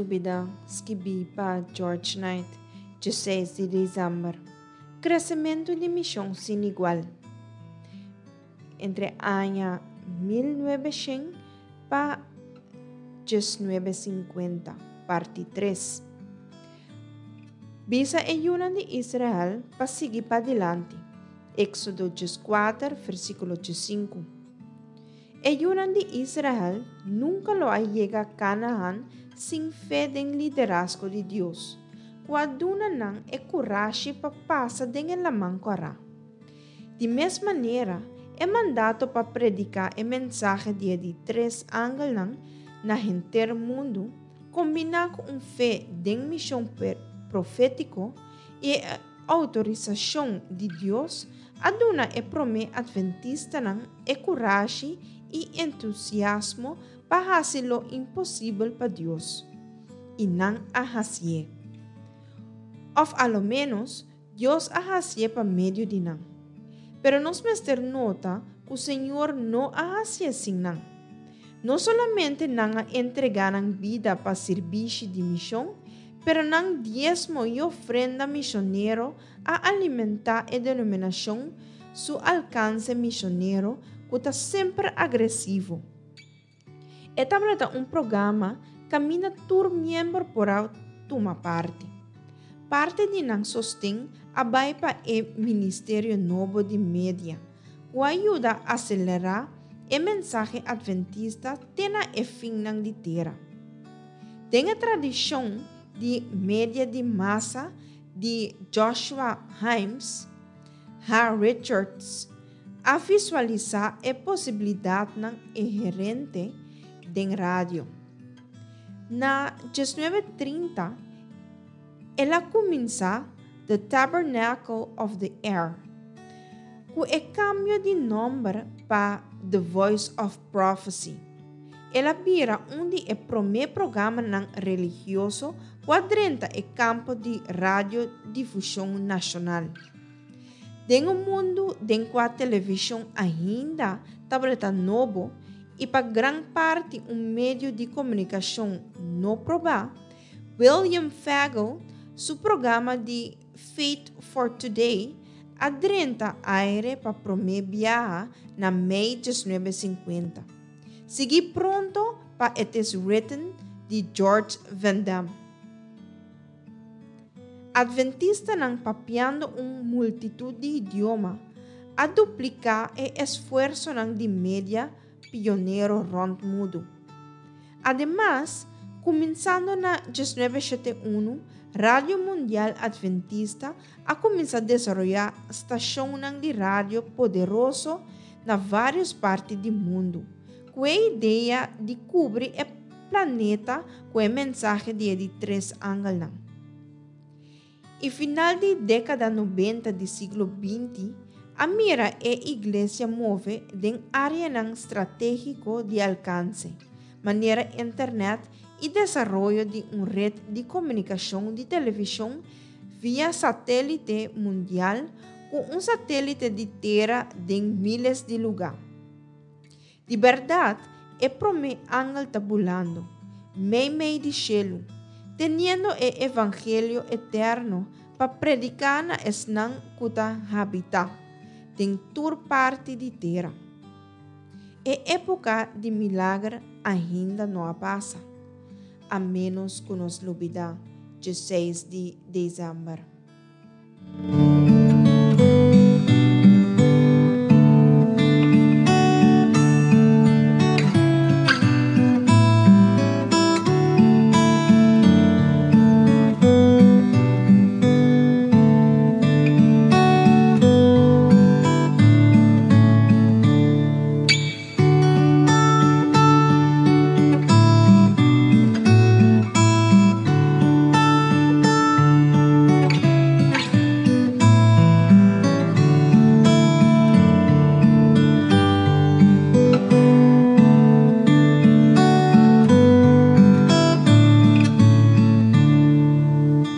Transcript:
lubida, skibí pa George Knight, 16 di desèmber. Kresementu di mishon sin igual. Entre aña 1900 pa 1950, parti 3. Bisa e yunan di Israel pa sigui padilanti. Éxodo 14, versíkulo 5. E yunan di Israel nunka lo a yega Kanahan sin fe den liderazgo di Dios, ku a duna nan e kurashi pa pasa den e Laman Kòrá. Di mes manera, e mandato pa prediká e mensahe di e di tres angelnan na henter mundu, kombiná ku un fe den mishon profétiko i e outorisashon di Dios, a duna e promé atventistanan e kurashi i entusiasmo pa hasi lo imposibel pa Dios. I nan a hasié. Òf a lo ménos, Dios a hasié pa medio di nan. Pero nos mester nota ku Señor no a hasié sin nan. No solamente nan a entregá nan bida pa sirbishi di mishon, pero nan diesmo i ofrenda mishonero a alimentá e denominashon su alkanse mishonero ku ta semper agresivo. E tabata un programa kaminda tur miembro por a tuma parti. Parti di nan sosten a bai pa e ministerio nobo di media, ku a yuda aselerá e mensahe atventista te na e finnan di tera. Den e tradishon di media di masa di Joshua Himes, H. Richards a visualisá e posibilidatnan inherente den radio. Na 1930, el a kuminsá The Tabernacle of the Air, ku e kambio di nòmber pa The Voice of Prophecy. El a bira un di e promé programanan religioso ku a drenta e kampo di radiodifushon nashonal. Den un mundu den kua televishon ainda tabata nobo i pa gran parti un medio di komunikashon no probá, William Fagle su programa di Faith for Today a drenta aire pa promé biaha na mei 1950, siguí pronto pa It Is Written di George Van Dam. Adventistanan papiando un multitut di idioma a dupliká e esfuersonan di media pionero rònt mundu. Ademas, kuminsando na 1971, Radio Mundial Adventista a kuminsá desaroyá stashonnan di radio poderoso na vários parti di mundu, ku e idea di kubri e planeta ku e mensahe di e di tres angelnan. I final di dékada nobenta di siglo 20 a mira e iglesia move den áreanan stratégiko di alkanse, manera internet i desaroyo di un ret di komunikashon di televishon via satélite mundial ku un satélite di tera den míles di lugá. Di bèrdat, e promé angel ta bulando, meimei di shelu, teniendo e evangelio eterno pa prediká na esnan ku ta habitá den tur parti di tera. E époka di milager ainda no a pasa, a ménos ku nos lubidá 16 di desèmber.